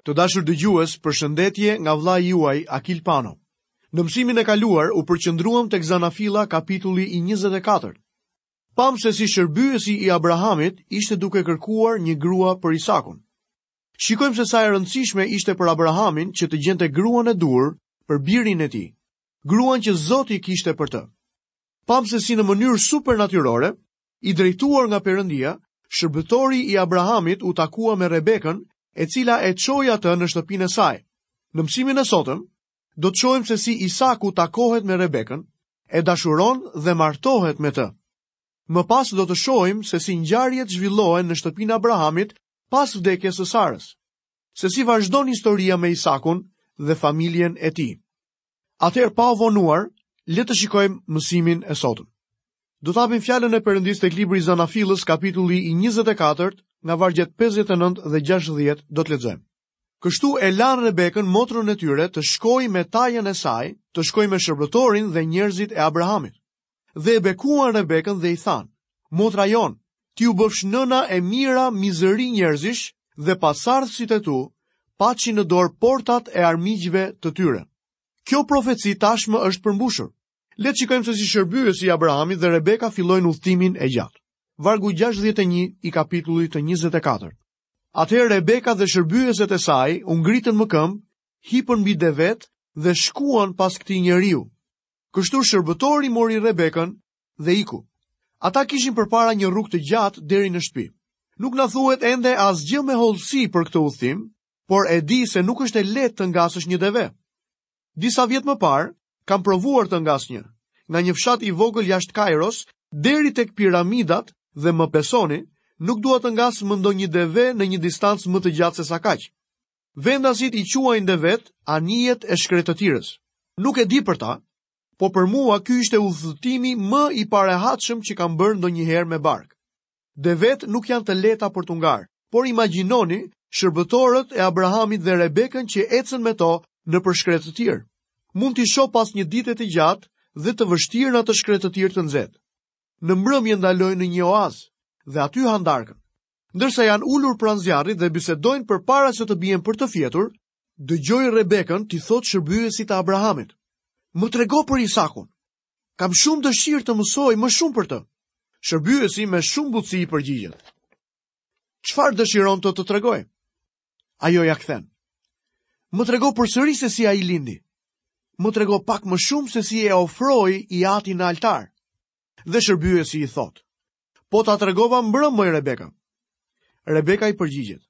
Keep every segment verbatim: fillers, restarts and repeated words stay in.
Të dashur dëgjues, përshëndetje nga vëllai juaj Akil Pano. Në mësimin e kaluar u përqendruam tek Zanafilla kapitulli i njëzet e katër. Pam se si shërbyesi i Abrahamit ishte duke kërkuar një grua për Isakun. Shikojmë se sa e rëndësishme ishte për Abrahamin që të gjente gruan e duhur për birin e tij, gruan që Zoti kishte për të. Pam se si në mënyrë supernatyrore, i drejtuar nga Perëndia, shërbëtori i Abrahamit u takua me Rebekën, e cila e çoi atë në shtëpinë e saj. Në mësimin e sotëm, do të shohim se si Isaku takohet me Rebekën, e dashuron dhe martohet me të. Më pas do të shohim se si ngjarjet zhvillohen në shtëpinë e Abrahamit pas vdekjes së Sarës, se si vazhdon historia me Isakun dhe familjen e tij. Atëherë, pa u vonuar, le të shikojmë mësimin e sotëm. Do të hapim fjalën e Perëndisë tek libri i Zanafillës, kapitulli i njëzet e katërt, nga vargjet pesëdhjetë e nëntë dhe gjashtëdhjetë do të lexojmë. Kështu e lanë Rebekën, motrën e tyre, të shkojë me tajën e saj, të shkojë me shërbëtorin dhe njerëzit e Abrahamit. Dhe e bekuan Rebekën dhe i thanë: Motra jon, ti u bëfsh nëna e mira mizëri njerëzish dhe pasardhësit e tu paçin në dorë portat e armiqve të tyre. Kjo profeci tashmë është përmbushur. Le të shikojmë se si shërbyesi i Abrahamit dhe Rebeka fillojnë udhëtimin e gjatë. Vargu gjashtëdhjetë e një i kapitullit të njëzet e katër. Atëherë Rebeka dhe shërbyeset e saj u ngritën më këmbë, hipën mbi devet dhe shkuan pas këtij njeriu. Kështu shërbëtori mori Rebekën dhe iku. Ata kishin përpara një rrugë të gjatë deri në shtëpi. Nuk na thuhet ende asgjë me hollësi për këtë udhëtim, por e di se nuk është e lehtë të ngasësh një deve. Disa vjet më parë, kam provuar të ngas një, nga një fshat i vogël jashtë Kairos deri tek piramidat dhe më besoni, nuk dua të ngas më ndonjë deve në një distancë më të gjatë se sa kaq. Vendasit i quajnë devet anijet e shkretëtirës. Nuk e di për ta, po për mua ky ishte udhëtimi më i parehatshëm që kam bërë ndonjëherë me bark. Devet nuk janë të lehta për t'u ngarë, por imagjinoni shërbëtorët e Abrahamit dhe Rebekën që ecën me to nëpër shkretëtirë. Mund t'i shoh pas një dite të gjatë dhe të vështirë në atë shkretëtirë të nxehtë. Në mbrëmje ndalojnë në një oaz dhe aty hanë darkën. Ndërsa janë ulur pranë zjarrit dhe bisedojnë përpara se të bien për të fjetur, dëgjoj Rebekën t'i thotë shërbyesit të Abrahamit: Më trego për Isakun. Kam shumë dëshirë të mësoj më shumë për të. Shërbyesi me shumë butësi i përgjigjet: Çfarë dëshiron të të tregoj? Ajo ja kthen: Më trego përsëri se si ai lindi. Më trego pak më shumë se si e ofroi i ati në altar. Dhe shërbyesi i thotë: Po ta tregova mbrëm, moj Rebeka. Rebeka i përgjigjet: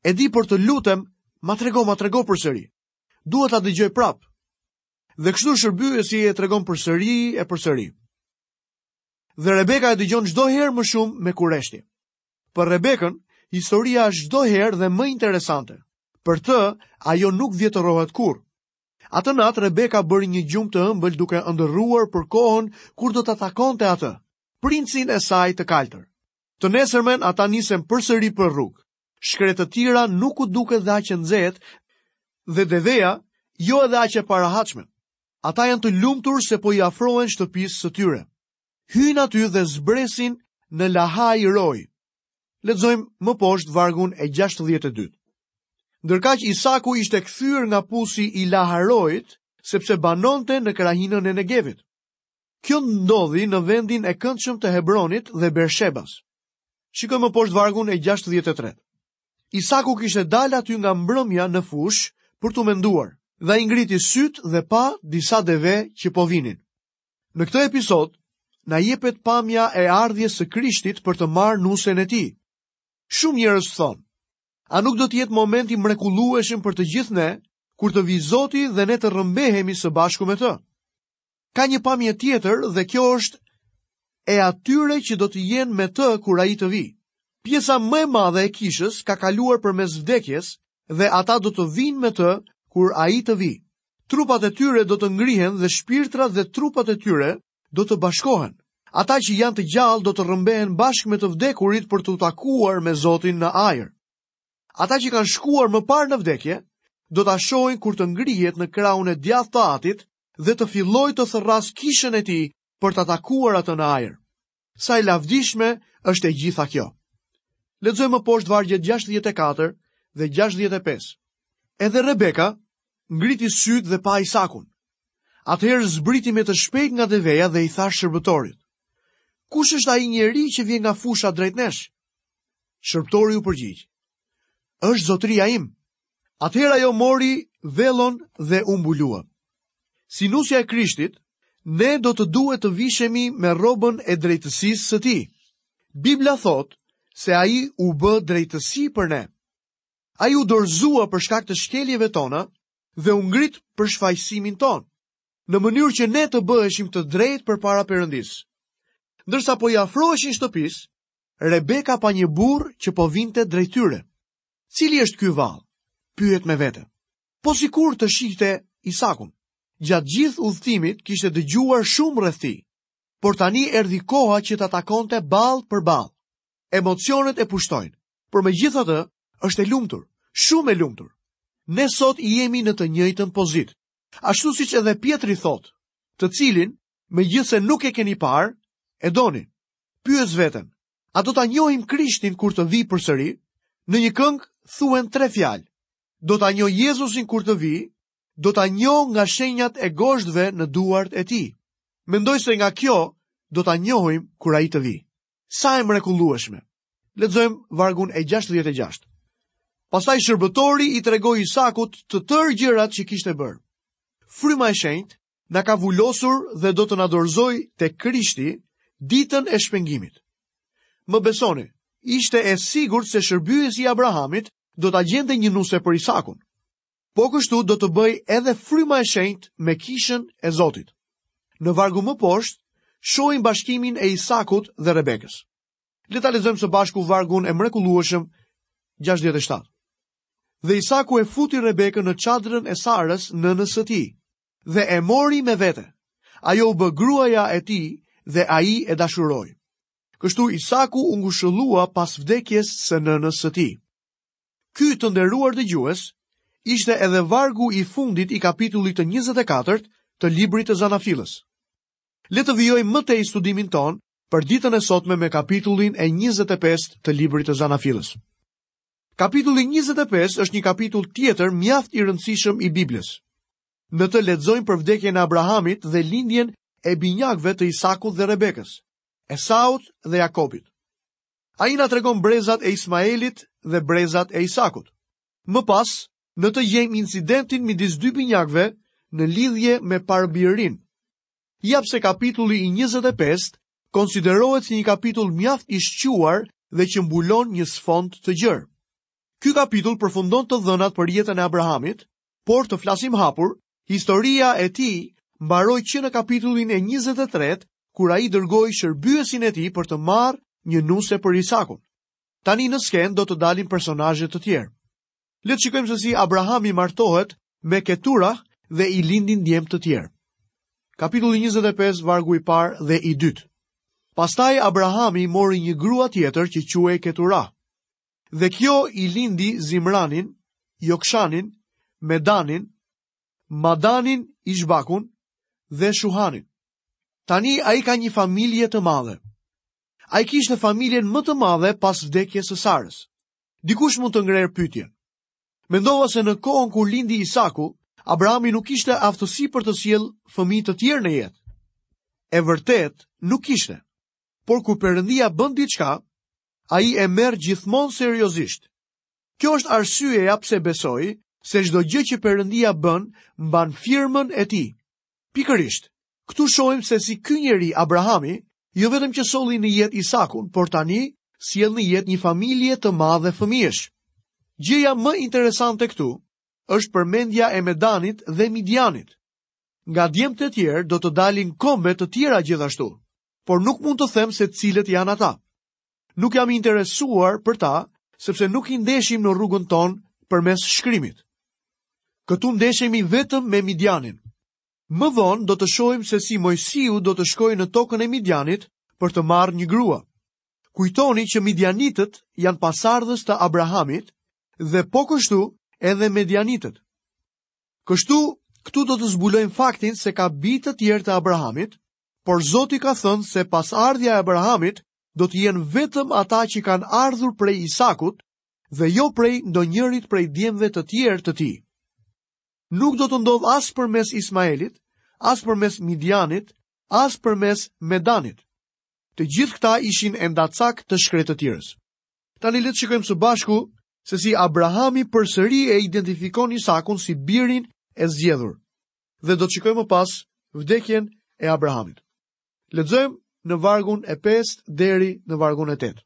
E di, por të lutem, ma trego, ma trego përsëri. Dua ta dëgjoj prap. Dhe kështu shërbyesi e tregon përsëri e përsëri. Dhe Rebeka e dëgjon çdo herë më shumë me kureshtje. Për Rebekën, historia është çdo herë dhe më interesante. Për të, ajo nuk vjetërohet kurrë. Atë natë Rebeka bëri një gjumë të ëmbël duke ëndërruar për kohën kur do ta takonte atë, princin e saj të kaltër. Të nesërmen ata nisen përsëri për rrugë. Shkretëtira nuk u duket dhe aq e nxehtë dhe deveja jo edhe aq e parahatshme. Ata janë të lumtur se po i afrohen shtëpisë së tyre. Hyjnë aty dhe zbresin në Lahaj Roi. Lexojmë më poshtë vargun e gjashtëdhjetë e dy. Ndërkaq Isaku ishte kthyer nga pusi i Laharoit, sepse banonte në krahinën e Negevit. Kjo ndodhi në vendin e këndshëm të Hebronit dhe Bershebas. Shikojmë më poshtë vargun e gjashtëdhjetë e tre. Isaku kishte dalë aty nga mbrëmja në fushë për t'u menduar, dhe ai ngriti syt dhe pa disa deve që po vinin. Në këtë episod na jepet pamja e ardhjes së Krishtit për të marrë nusen e tij. Shumë njerëz thonë: A nuk do të jetë moment i mrekullueshëm për të gjithë ne, kur të vi Zoti dhe ne të rrëmbehemi së bashku me të? Ka një pamje tjetër dhe kjo është e atyre që do të jenë me të kur ai të vi. Pjesa më e madhe e kishës ka kaluar përmes vdekjes dhe ata do të vinë me të kur ai të vi. Trupat e tyre do të ngrihen dhe shpirtrat dhe trupat e tyre do të bashkohen. Ata që janë të gjallë do të rrëmbehen bashkë me të vdekurit për t'u takuar me Zotin në ajër. Ata që kanë shkuar më parë në vdekje, do ta shohin kur të ngrihet në krahun e djathtë të Atit dhe të fillojë të thërras kishën e tij për ta takuar atë në ajër. Sa e lavdishme është e gjitha kjo. Lexojmë më poshtë vargjet gjashtëdhjetë e katër dhe gjashtëdhjetë e pesë. Edhe Rebeka ngriti sytë dhe pa Isakun. Atëherë zbriti me të shpejt nga deveja dhe i tha shërbëtorit: Kush është ai njeri që vjen nga fusha drejt nesh? Shërbëtori u përgjigj: Është zotëria im. Atëherë ajo mori vellon dhe u mbulua. Si nusja e Krishtit, ne do të duhet të vishemi me rrobën e drejtësisë së tij. Bibla thotë se ai u bë drejtësi për ne. Ai u dorëzua për shkak të shkeljeve tona dhe u ngrit për shfajësimin tonë, në mënyrë që ne të bëheshim të drejtë përpara Perëndisë. Ndërsa po i afroheshin shtëpisë, Rebeka pa një burrë që po vinte drejt tyre. Cili është ky vallë? Pyet me vete. Po sikur të shihte Isakun. Gjatë gjithë udhëtimit kishte dëgjuar shumë rreth tij, por tani erdhi koha që ta takonte ballë për ballë. Emocionet e pushtojnë, por megjithatë është e lumtur, shumë e lumtur. Ne sot jemi në të njëjtën pozitë. Ashtu siç edhe Pjetri thotë, të cilin, megjithse nuk e keni parë, e doni. Pyes veten, a do ta njohim Krishtin kur të vijë përsëri? Në një këngë thuhen tre fjalë. Do ta njoh Jezusin kur të vijë, do ta njoh nga shenjat e gozhdëve në duart e tij. Mendoj se nga kjo do ta njohim kur ai të vijë. Sa e mrekullueshme. Lexojmë vargun e gjashtëdhjetë e gjashtë. Pastaj shërbëtori i tregoi Isakut të tërë gjërat që kishte bërë. Fryma e shenjtë na ka vulosur dhe do të na dorëzojë te Krishti ditën e shpengimit. Më besoni, ishte e sigurt se shërbyesi i Abrahamit do ta gjente një nuse për Isakun. Po kështu do të bëj edhe fryma e shenjtë me kishën e Zotit. Në vargu më poshtë, shohim bashkimin e Isakut dhe Rebekës. Le ta lexojmë së bashku vargun e mrekullueshëm gjashtëdhjetë e shtatë. Dhe Isaku e futi Rebekën në çadrën e Sarës, nënës së tij, dhe e mori me vete. Ajo u bë gruaja e tij dhe ai e dashuroi. Kështu Isaku u ngushëllua pas vdekjes së nënës së tij. Ky, të nderuar dëgjues, ishte edhe vargu i fundit i kapitullit të njëzet e katërt të librit të Zanafillës. Le të vijojmë më tej studimin ton për ditën e sotme me kapitullin e njëzet e pestë të librit të Zanafillës. Kapitulli njëzet e pesë është një kapitull tjetër mjaft i rëndësishëm i Biblës. Në të lexojmë për vdekjen e Abrahamit dhe lindjen e binjakëve të Isakut dhe Rebekës, Esaut dhe Jakobit. Ai na tregon brezat e Ismaelit dhe brezat e Isakut. Më pas, në të gjejmë incidentin midis dy binjakëve në lidhje me parbirin. Ja pse kapitulli i njëzet e pestë konsiderohet si një kapitull mjaft i shquar dhe që mbulon një sfond të gjerë. Ky kapitull përfundon të dhënat për jetën e Abrahamit, por të flasim hapur, historia e tij mbaroi që në kapitullin e njëzet e tretë, kur ai dërgoi shërbyesin e tij për të marrë një nuse për Isakun. Tani në skenë do të dalin personazhe të tjerë. Le të shikojmë se si Abrahami martohet me Keturah dhe i lindin djem të tjerë. Kapitulli njëzet e pesë, vargu i parë dhe i dytë. Pastaj Abrahami mori një grua tjetër që quhej Keturah. Dhe kjo i lindi Zimranin, Jokshanin, Medanin, Madanin, Ishbakun dhe Shuhanin. Tani ai ka një familje të madhe. Ai kishte familjen më të madhe pas vdekjes së Sarës. Dikush mund të ngrerë pyetjen. Mendova se në kohën kur lindi Isaku, Abrahami nuk kishte aftësi për të sjellë fëmijë të tjerë në jetë. E vërtet, nuk kishte. Por kur Perëndia bën diçka, ai e merr gjithmonë seriozisht. Kjo është arsyeja pse besoj se çdo gjë që Perëndia bën mban firmën e tij. Pikërisht, këtu shohim se si ky njeri Abrahami jo vetëm që solli në jetë Isakun, por tani sjell në jetë një familje të madhe fëmijësh. Gjëja më interesante këtu është përmendja e Medanit dhe Midianit. Nga djemtë e tjerë do të dalin kombe të tjera gjithashtu, por nuk mund të them se cilët janë ata. Nuk jam interesuar për ta, sepse nuk i ndeshim në rrugën tonë përmes shkrimit. Këtu ndeshemi vetëm me Midianin. Më vonë do të shohim se si Mojsiu do të shkojë në tokën e Midianit për të marrë një grua. Kujtoni që Midianitët janë pasardhës të Abrahamit dhe po kështu edhe Medianitët. Kështu, këtu do të zbulojmë faktin se ka bij të tjerë të Abrahamit, por Zoti ka thënë se pasardhja e Abrahamit do të jenë vetëm ata që kanë ardhur prej Isakut dhe jo prej ndonjërit prej djemve të tjerë të tij. Nuk do të ndodhë as përmes Ismaelit, as përmes Midianit, as përmes Medanit. Të gjithë këta ishin endacak të shkretëtirës. Tani le të shikojmë së bashku se si Abrahami përsëri e identifikon Isakun si birin e zgjedhur. Dhe do të shikojmë më pas vdekjen e Abrahamit. Lexojmë në vargun e pestë deri në vargun e tetë.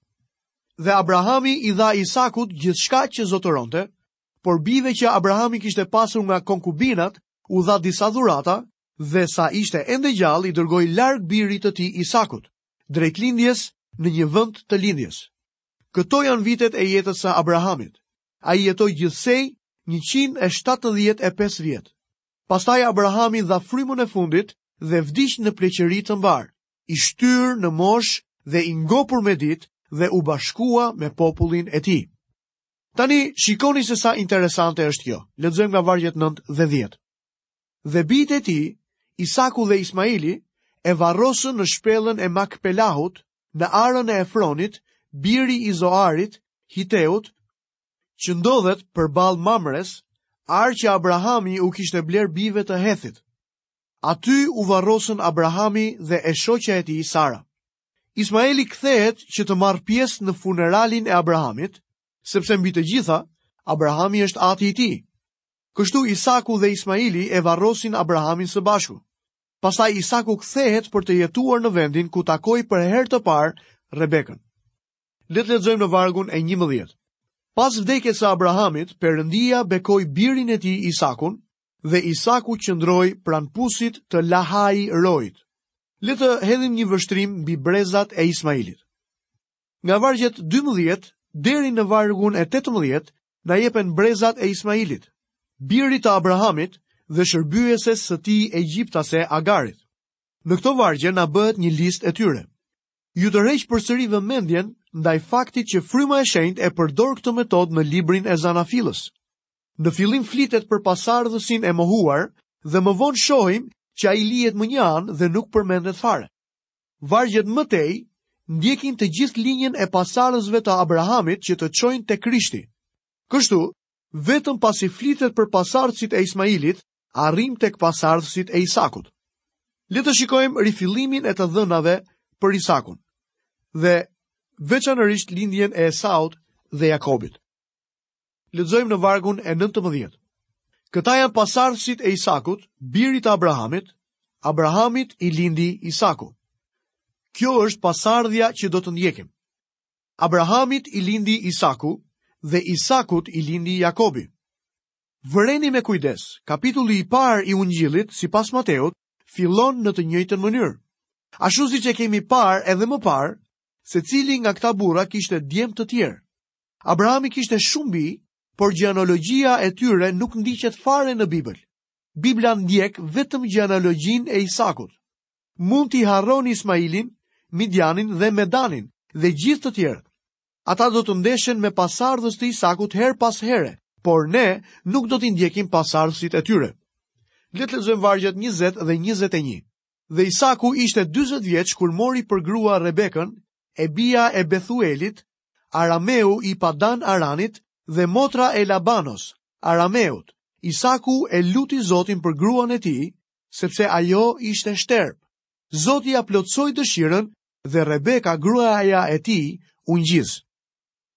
Dhe Abrahami i dha Isakut gjithçka që zotëronte, por bijve që Abrahami kishte pasur nga konkubinat u dha disa dhurata dhe sa ishte ende gjallë i dërgoi larg birit të tij Isakut, drejt lindjes në një vend të lindjes. Këto janë vitet e jetës së Abrahamit. Ai jetoi gjithsej njëqind e shtatëdhjetë e pesë vjet. Pastaj Abrahami dha frymën e fundit dhe vdiq në pleqëri të mbar, i shtyrë në moshë dhe i ngopur me ditë dhe u bashkua me popullin e tij. Tani shikoni se sa interesante është kjo. Lexojmë nga vargjet nëntë dhe dhjetë. Dhe bijtë e tij, Isaku dhe Ismaili, e varrosën në shpellën e Makpelahut, në arën e Efronit, biri i Zoarit, Hiteut, që ndodhet përballë Mamres, arë që Abrahami u kishte bler bijve të Hethit. Aty u varrosën Abrahami dhe e shoqja e tij Sara. Ismaeli kthehet që të marrë pjesë në funeralin e Abrahamit, sepse mbi të gjitha, Abrahami është ati i tij. Kështu Isaku dhe Ismaili e varrosin Abrahamin së bashku. Pastaj Isaku kthehet për të jetuar në vendin ku takoi për herë të parë Rebekën. Le të lexojmë në vargun e njëmbëdhjetë. Pas vdekjes së Abrahamit, Perëndia bekoi birin e tij Isakun dhe Isaku qëndroi pranë pusit të Lahai Roit. Le të hedhim një vështrim mbi brezat e Ismailit. Nga vargjet dymbëdhjetë deri në vargun e tetëmbëdhjetë na jepen brezat e Ismailit, birit të Abrahamit dhe shërbyeses së tij egjiptase Agarit. Në këto vargje na bëhet një listë e tyre. Ju tërheq përsëri vëmendjen ndaj faktit që fryma e shenjtë e përdor këtë metodë në librin e Zanafillës. Në fillim flitet për pasardhësin e mohuar dhe më vonë shohim që ai lihet më një anë dhe nuk përmendet fare. Vargjet më tej ndjekin të gjithë linjën e pasardhësve të Abrahamit që të çojnë te Krishti. Kështu, vetëm pasi flitet për pasardhësit e Ismailit, arrim tek pasardhësit e Isakut. Le të shikojmë rifillimin e të dhënave për Isakun dhe veçanërisht lindjen e Esaut dhe Jakobit. Lexojmë në vargun e nëntëmbëdhjetë. Këta janë pasardhësit e Isakut, birit të Abrahamit. Abrahamit i lindi Isaku. Kjo është pasardhja që do të ndjekim. Abrahamit i lindi Isaku dhe Isakut i lindi Jakobi. Vëreni me kujdes, kapitulli i parë i Ungjillit, sipas Mateut, fillon në të njëjtën mënyrë. Ashtu siç e kemi parë edhe më parë, secili nga këta burra kishte djem të tjerë. Abrahami kishte shumë bij, por gjenealogjia e tyre nuk ndiqet fare në Bibël. Bibla ndjek vetëm gjenealogjinë e Isakut. Mund t'i harroni Ismailin, Midianin dhe Medanin dhe gjithë të tjerët. Ata do të ndeshen me pasardhës të Isakut her pas here, por ne nuk do t'i ndjekim pasardhësit e tyre. Le të lexojmë vargjet njëzet dhe njëzet e një. Dhe Isaku ishte dyzet vjeç kur mori për grua Rebekën, e bija e Bethuelit, Arameu i Padan Aranit dhe motra e Labanos, Arameut. Isaku e luti Zotin për gruan e tij, sepse ajo ishte shterp. Zoti ja plotësoi dëshirën dhe Rebeka, gruaja e tij, u ngjiz.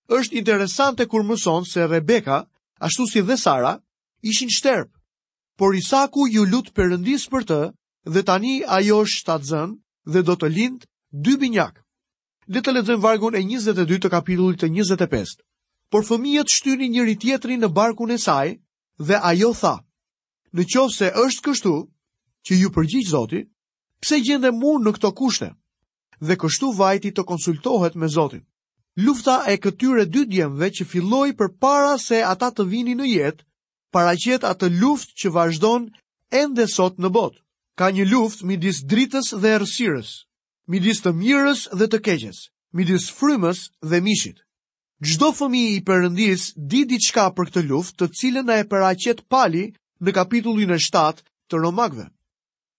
Është interesante kur mëson se Rebeka, ashtu si dhe Sara, ishin shterp. Por Isaku ju lut Perëndis për të dhe tani ajo është shtatzën dhe do të lind dy binjak. Le të lexojmë vargun e njëzet e dy të kapitullit të njëzet e pestë. Por fëmijët shtynin njëri tjetrin në barkun e saj dhe ajo tha: Në qoftë se është kështu, që ju përgjigj Zoti, pse gjendem unë në këto kushte? Dhe kështu vajti të konsultohet me Zotin. Lufta e këtyre dy djemve që filloi përpara se ata të vinin në jetë, paraqet atë luftë që vazhdon ende sot në botë. Ka një luftë midis dritës dhe errësirës, midis të mirës dhe të keqes, midis frymës dhe mishit. Çdo fëmijë i Perëndis di diçka për këtë luftë, të cilën na e paraqet Pali në kapitullin e shtatë të Romakëve.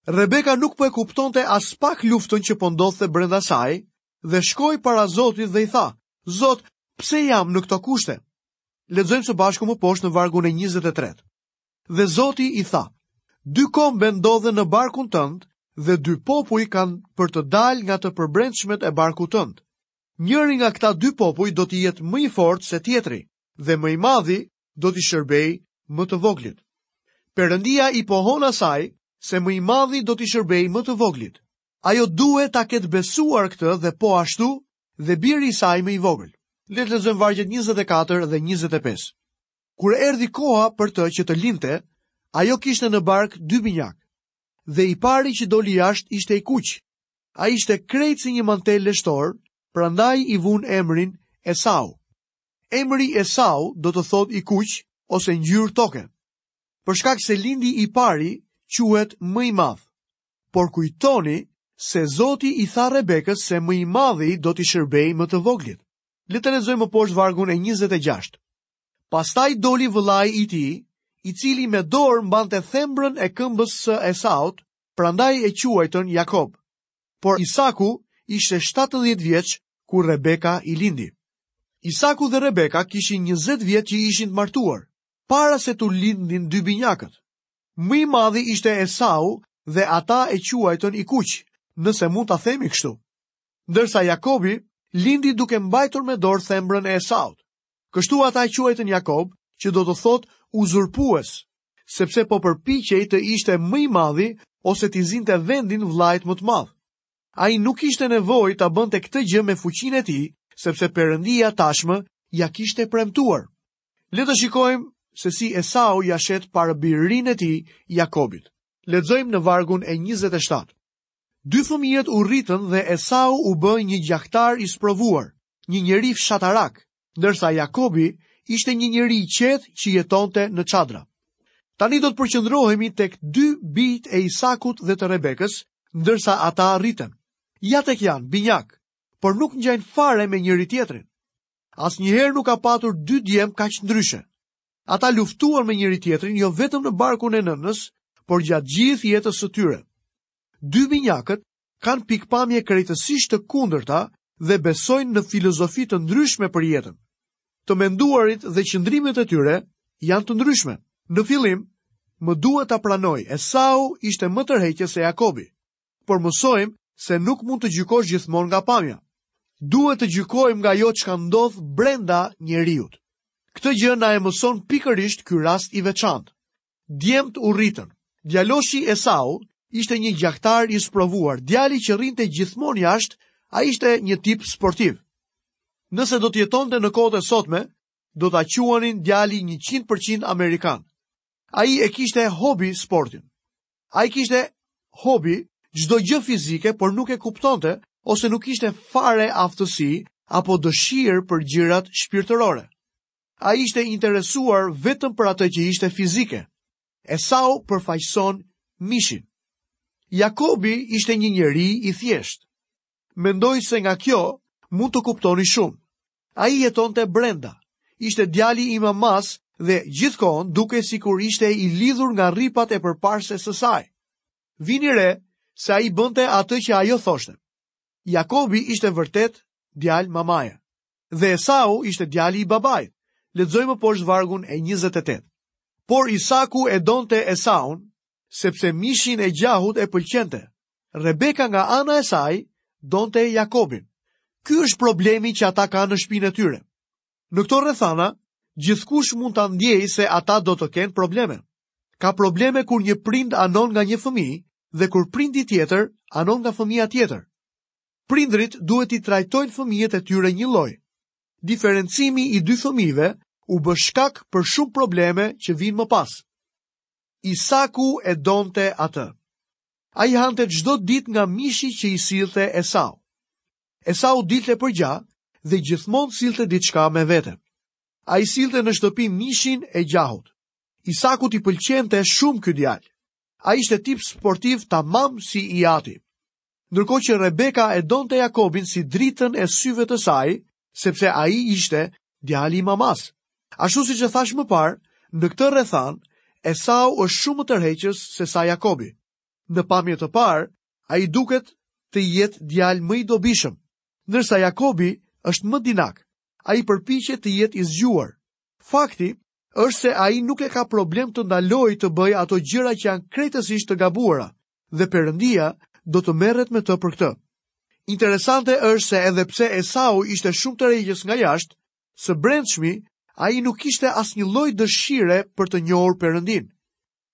Rebeka nuk po e kuptonte as pak luftën që po ndodhte brenda saj dhe shkoi para Zotit dhe i tha: Zot, pse jam në këto kushte? Lexojmë së bashku më poshtë në vargun e njëzet e tretë. Dhe Zoti i tha: Dy kombe ndodhen në barkun tënd dhe dy popuj kanë për të dalë nga të përbrendshmet e barkut tënd. Njëri nga këta dy popuj do të jetë më i fortë se tjetri dhe më i madhi do t'i shërbejë më të voglit. Perëndia i pohon asaj se më i madhi do t'i shërbejë më të voglit. Ajo duhet ta ketë besuar këtë dhe po ashtu dhe biri i saj më i vogël. Le të lexojmë vargjet njëzet e katër dhe njëzet e pesë. Kur erdhi koha për të që të lindte, ajo kishte në bark dy binjak. Dhe i pari që doli jashtë ishte i kuq. Ai ishte krejt si një mantel leshtor, prandaj i vun emrin Esau. Emri Esau do të thotë i kuq ose ngjyrë toke. Për shkak se lindi i pari quhet më i madh. Por kujtoni se Zoti i tha Rebekës se më i madhi do t'i shërbejë më të voglit. Le të lexojmë më poshtë vargun e njëzet e gjashtë. Pastaj doli vëllai i tij, i cili me dorë mbante thembrën e këmbës së Esaut, prandaj e quajtën Jakob. Por Isaku ishte shtatëdhjetë vjeç kur Rebeka i lindi. Isaku dhe Rebeka kishin njëzet vjet që ishin të martuar, para se t'u lindnin dy binjakët. Më i madhi ishte Esau dhe ata e quajtën i kuq, nëse mund ta themi kështu. Ndërsa Jakobi lindi duke mbajtur me dorë thembrën e Esaut. Kështu ata e quajtën Jakob, që do të thotë uzurpues, sepse po përpiqej të ishte më i madhi ose t'i zinte vendin vllait më të madh. Ai nuk kishte nevojë ta bënte këtë gjë me fuqinë e tij, sepse Perëndia tashmë ja kishte premtuar. Le të shikojmë se si Esau ja shet parabirinë e tij Jakobit. Lexojmë në vargun e njëzet e shtatë. Dy fëmijët u rritën dhe Esau u bë një gjahtar i sprovuar, një njeri fshatarak, ndërsa Jakobi ishte një njeri i qetë që jetonte në çadra. Tani do të përqendrohemi tek dy bijtë e Isakut dhe të Rebekës, ndërsa ata rriten. Ja tek janë binjak, por nuk ngjajnë fare me njëri tjetrin. Asnjëherë nuk ka patur dy djem kaq ndryshe. Ata luftuan me njëri tjetrin jo vetëm në barkun e nënës, por gjatë gjithë jetës së tyre. Dy binjakët kanë pikpamje krejtësisht të kundërta dhe besojnë në filozofi të ndryshme për jetën. Të menduarit dhe qëndrimet e tyre janë të ndryshme. Në fillim, më duhet ta pranoj, Esau ishte më tërheqës se Jakobi, por mësojmë se nuk mund të gjykosh gjithmonë nga pamja. Duhet të gjykojmë nga ajo çka ndodh brenda njeriut. Këtë gjë na e mëson pikërisht ky rast i veçantë. Djemt u rritën. Djaloshi Esau ishte një gjahtar i sprovuar, djali që rrinte gjithmonë jashtë, ai ishte një tip sportiv. Nëse do të jetonte në kohët e sotme, do ta quanin djali njëqind përqind amerikan. Ai e kishte hobi sportin. Ai kishte hobi çdo gjë fizike, por nuk e kuptonte ose nuk kishte fare aftësi apo dëshirë për gjërat shpirtërore. Ai ishte interesuar vetëm për atë që ishte fizike. Esau përfaqëson mishin. Jakobi ishte një njeri i thjeshtë. Mendoj se nga kjo mund të kuptoni shumë. Ai jetonte brenda. Ishte djali i mamas dhe gjithkohon duke sikur ishte i lidhur nga rripat e përparëses së saj. Vini re se ai bënte atë që ajo thoshte. Jakobi ishte vërtet djalë mamaje dhe Esau ishte djali i babait. Lexojmë poshtë vargun e njëzet e tetë. Por Isaku e donte Esaun, sepse mishin e gjahut e pëlqente. Rebeka nga ana e saj donte Jakobin. Ky është problemi që ata kanë në shtëpinë e tyre. Në këto rrethana, gjithkush mund ta ndjejë se ata do të kenë probleme. Ka probleme kur një prind anon nga një fëmijë dhe kur prindi tjetër anon nga fëmia tjetër. Prindrit duhet t'i trajtojnë fëmijët e tyre njëlloj. Diferencimi i dy fëmijëve u bë shkak për shumë probleme që vinë më pas. Isaku e donte atë. Ai hante çdo ditë nga mishi që i sillte Esau. Esau dilte për gja dhe gjithmonë sillte diçka me vete. Ai sillte në shtëpi mishin e gjahut. Isakut i pëlqente shumë ky djalë. Ai ishte tip sportiv tamam si i ati. Ndërkohë që Rebeka e donte Jakobin si dritën e syve të saj, sepse ai ishte djali i mamas. Ashtu siç e thash më parë, në këtë rrethan, Esau është shumë më tërheqës se sa Jakobi. Në pamje të parë, ai duket të jetë djalë më i dobishëm, ndërsa Jakobi është më dinak. Ai përpiqet të jetë i zgjuar. Fakti është se ai nuk e ka problem të ndalojë të bëjë ato gjëra që janë krejtësisht të gabuara dhe Perëndia do të merret me të për këtë. Interesante është se edhe pse Esau ishte shumë tërheqës nga jashtë, së brendshmi ai nuk kishte asnjë lloj dëshire për të njohur Perëndin.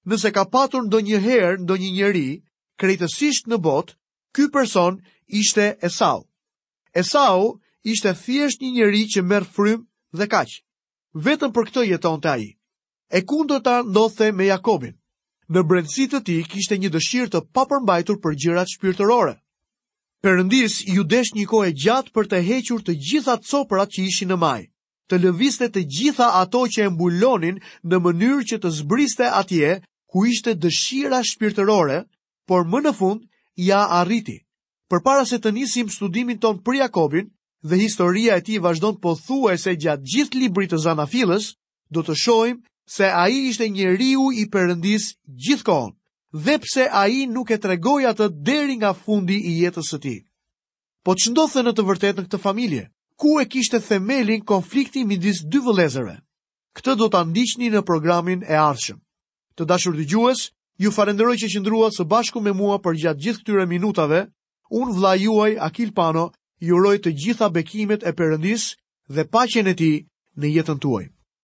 Nëse ka patur ndonjëherë ndonjë njeri krejtësisht në botë, ky person ishte Esau. Esau ishte thjesht një njeri që merr frymë dhe kaq. Vetëm për këtë jetonte ai. E kundërta ndodhte me Jakobin. Në brendësi të tij kishte një dëshirë të papërmbajtur për gjërat shpirtërore. Perëndis iu desh një kohë e gjatë për të hequr të gjitha coprat që ishin në majë, të lëvizte të gjitha ato që e mbulonin në mënyrë që të zbriste atje ku ishte dëshira shpirtërore, por më në fund ia arriti. Përpara se të nisim studimin ton për Jakobin, dhe historia e tij vazhdon pothuajse gjatë gjithë librit të Zanafillës, do të shohim se ai ishte njeriu i Perëndis gjithkohon, dhe pse ai nuk e tregoi atë deri nga fundi i jetës së tij. Po ç'ndodhte në të vërtetë në këtë familje? Ku e kishte themelin konflikti midis dy vëllezërve? Këtë do ta ndiqni në programin e ardhshëm. Të dashur dëgjues, ju falenderoj që qëndruat së bashku me mua përgjatë gjithë këtyre minutave. Unë vëllai juaj Akil Pano ju uroj të gjitha bekimet e Perëndis dhe paqen e tij në jetën tuaj.